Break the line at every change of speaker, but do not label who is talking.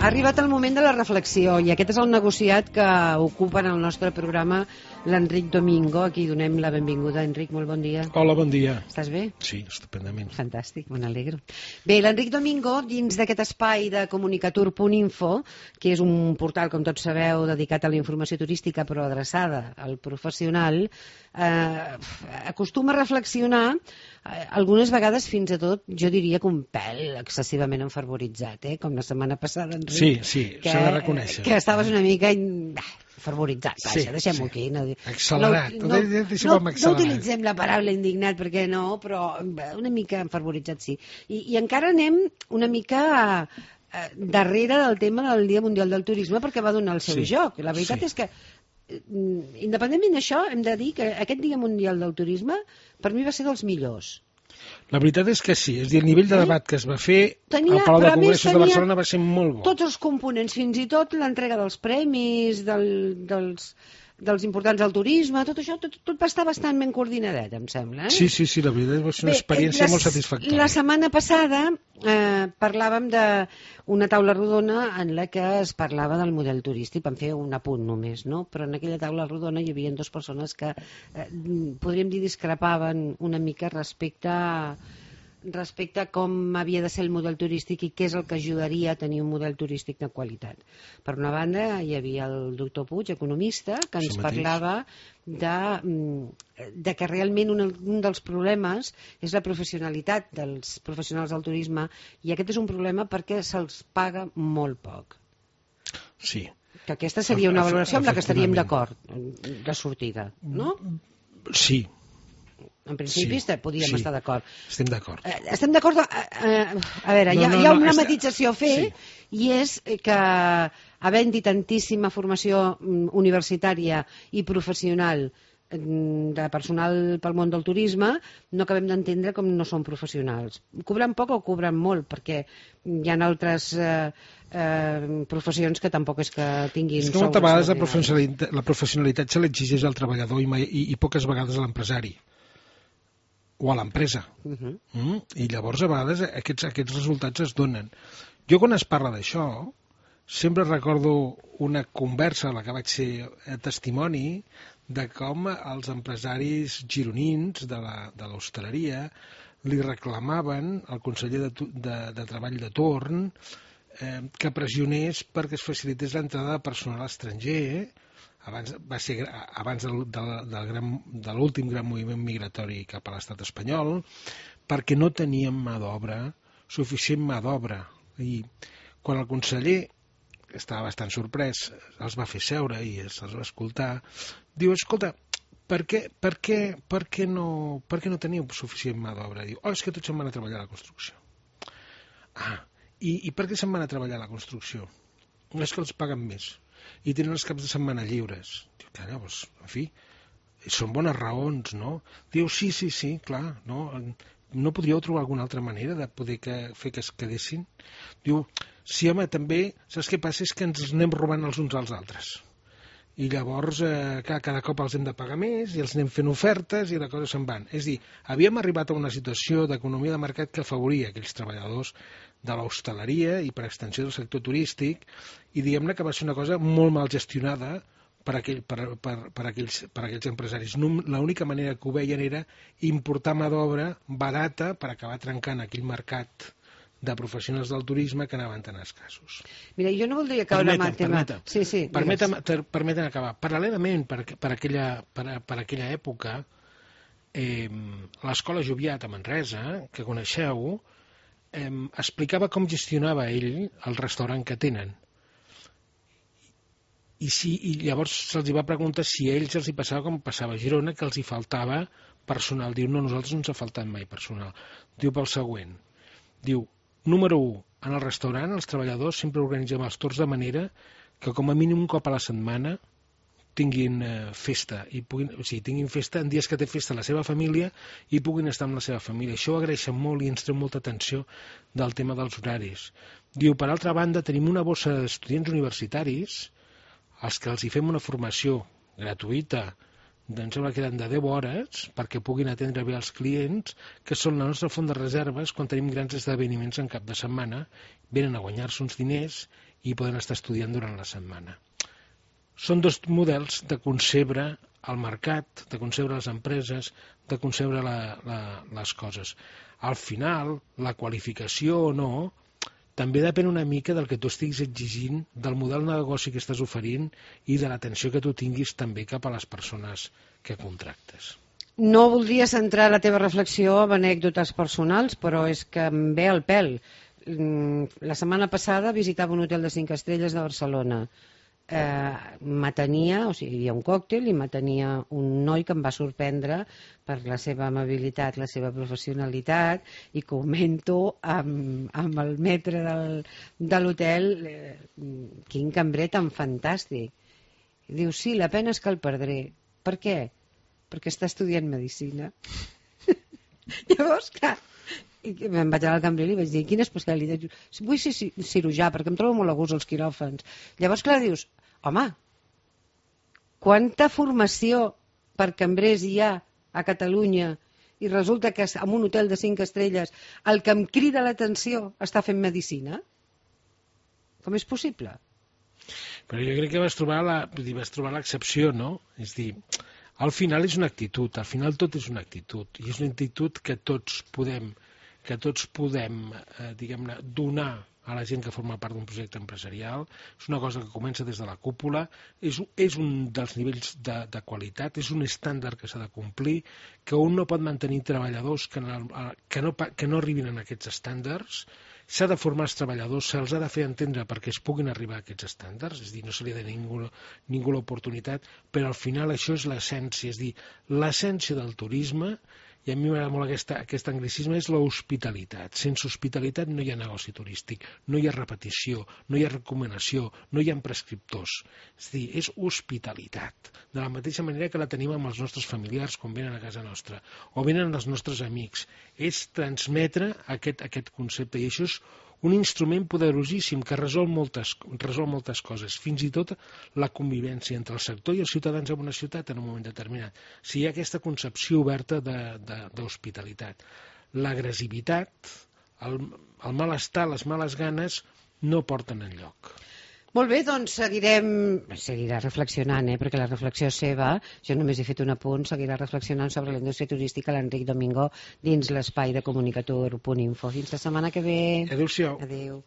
Ha arribat el moment de la reflexió i aquest és el negociat que ocupa en el nostre programa l'Enric Domingo. Aquí donem la benvinguda. Enric, molt bon dia.
Hola, bon dia.
Estàs bé?
Sí, estupendament.
Fantàstic, me n'alegro. Bé, l'Enric Domingo, dins d'aquest espai de comunicatur.info, que és un portal, com tots sabeu, dedicat a la informació turística però adreçada al professional, acostuma a reflexionar algunes vegades fins a tot, jo diria que un pèl excessivament enfervoritzat, com la setmana passada, Enric.
Sí, s'ha de reconèixer.
Que estaves una mica fervoritzat, vaja, deixem-ho aquí.
Accelerat,
no utilitzem la paraula indignat perquè no, però una mica enfervoritzat sí. I encara anem una mica darrere del tema del Dia Mundial del Turisme perquè va donar el seu joc. La veritat és que independentment d'això, hem de dir que aquest Dia Mundial del Turisme per mi va ser dels millors.
La veritat és que sí, és a dir, el nivell de debat que es va fer al Palau de Congressos de Barcelona va ser molt bo.
Tots els components, fins i tot l'entrega dels premis, dels importants del turisme, tot això, tot va estar bastant ben coordinadet, em sembla.
Sí, la veritat va ser una experiència molt satisfactòria.
La setmana passada parlàvem d'una taula rodona en la que es parlava del model turístic, vam fer un apunt només, no? Però en aquella taula rodona hi havia dues persones que, podríem dir, discrepaven una mica respecte a com havia de ser el model turístic i què és el que ajudaria a tenir un model turístic de qualitat. Per una banda, hi havia el doctor Puig, economista, que ens parlava de que realment un dels problemes és la professionalitat dels professionals del turisme i aquest és un problema perquè se'ls paga molt poc.
Sí.
Que aquesta seria una valoració amb la que estaríem d'acord, de sortida, no?
Sí.
En principi podíem estar d'acord.
Estem d'acord.
Estem d'acord. A veure, hi ha una matització a fer i és que havent-hi tantíssima formació universitària i professional de personal pel món del turisme, no acabem d'entendre com no són professionals. Cobren poc o cobren molt, perquè hi ha altres professions que tampoc és que tinguin...
És que moltes vegades la professionalitat se l'exigeix al treballador i poques vegades a l'empresari o a l'empresa. I llavors a vegades aquests resultats es donen. Jo quan es parla d'això sempre recordo una conversa a la que vaig ser testimoni de com els empresaris gironins de l'hostaleria li reclamaven al conseller de Treball de torn que pressionés perquè es facilités l'entrada de personal estranger abans de l'últim gran moviment migratori cap a l'estat espanyol, perquè no teníem suficient mà d'obra. I quan el conseller estava bastant sorprès, els va fer seure i se'ls va escoltar, diu, escolta, per què no teniu suficient mà d'obra? Diu, és que tots se'n van a treballar a la construcció. I per què se'n van a treballar a la construcció? És que els paguen més i tenen els caps de setmana lliures. Diu, llavors, en fi, són bones raons, no? Diu, sí, clar, no podríeu trobar alguna altra manera de poder fer que es quedessin? Diu, sí, home, també, saps què passa? És que ens anem robant els uns als altres. I llavors cada cop els hem de pagar més i els anem fent ofertes i la cosa se'n van. És a dir, havíem arribat a una situació d'economia de mercat que afavoria aquells treballadors de l'hostaleria i per extensió del sector turístic i diguem-ne que va ser una cosa molt mal gestionada per aquells empresaris. L'única manera que ho veien era importar mà d'obra barata per acabar trencant aquell mercat de professionals del turisme que anaven tan escassos.
Mira, jo no voldria caure en el tema...
Permetem acabar. Paral·lelament, per aquella època, l'Escola Joviat a Manresa, que coneixeu, explicava com gestionava ell el restaurant que tenen. I llavors se'ls va preguntar si a ells els hi passava com passava a Girona, que els hi faltava personal. Diu, no, a nosaltres no ens ha faltat mai personal. Diu pel següent. Diu, número 1, en el restaurant els treballadors sempre organitzem els torns de manera que com a mínim un cop a la setmana tinguin festa, tinguin festa en dies que té festa la seva família i puguin estar amb la seva família. Això ho agraeixen molt i ens treu molta atenció del tema dels horaris. Diu, per altra banda, tenim una bossa d'estudiants universitaris als que els hi fem una formació gratuïta em sembla que eren de 10 hores perquè puguin atendre bé els clients, que són la nostra font de reserves quan tenim grans esdeveniments en cap de setmana, venen a guanyar-se uns diners i poden estar estudiant durant la setmana. Són dos models de concebre el mercat, de concebre les empreses, de concebre les coses. Al final, la qualificació o no també depèn una mica del que tu estiguis exigint, del model de negoci que estàs oferint i de l'atenció que tu tinguis també cap a les persones que contractes.
No voldria centrar la teva reflexió en anècdotes personals, però és que em ve al pèl. La setmana passada visitava un hotel de 5 estrelles de Barcelona. M'atenia, o sigui, hi havia un còctel i m'atenia un noi que em va sorprendre per la seva amabilitat, la seva professionalitat, i comento amb el metre de l'hotel, quin cambrer tan fantàstic. Diu, sí, la pena és que el perdré. Per què? Perquè està estudiant medicina. Llavors, clar, em vaig anar al cambrer i li vaig dir, quina especialitat? Vull ser cirurgià, perquè em trobo molt a gust als quiròfans. Llavors, clar, dius, home, quanta formació per cambrers hi ha a Catalunya i resulta que en un hotel de 5 estrelles el que em crida l'atenció està fent medicina? Com és possible?
Però jo crec que vas trobar l'excepció, no? És dir, al final és una actitud, al final tot és una actitud, i és una actitud que tots podem diguem-ne, donar a la gent que forma part d'un projecte empresarial. És una cosa que comença des de la cúpula, és un dels nivells de qualitat, és un estàndard que s'ha de complir, que un no pot mantenir treballadors que no arribin a aquests estàndards. S'ha de formar els treballadors, se'ls ha de fer entendre perquè es puguin arribar a aquests estàndards, és a dir, no se li ha de ningú l'oportunitat, però al final això és l'essència, és a dir, l'essència del turisme, i a mi m'agrada molt aquest anglicisme, és l'hospitalitat. Sense hospitalitat no hi ha negoci turístic, no hi ha repetició, no hi ha recomanació, no hi ha prescriptors. És a dir, és hospitalitat. De la mateixa manera que la tenim amb els nostres familiars quan venen a casa nostra, o venen els nostres amics. És transmetre aquest concepte, i això és un instrument poderosíssim que resol moltes coses, fins i tot la convivència entre el sector i els ciutadans en una ciutat en un moment determinat. Si hi ha aquesta concepció oberta d'hospitalitat. L'agressivitat, el malestar, les males ganes no porten enlloc.
Molt bé, doncs seguirà reflexionant, perquè la reflexió és seva, jo només he fet un apunt, seguirà reflexionant sobre la indústria turística l'Enric Domingo dins l'espai de comunicator.info. Fins la setmana que ve.
Adéu-siau.
Adéu.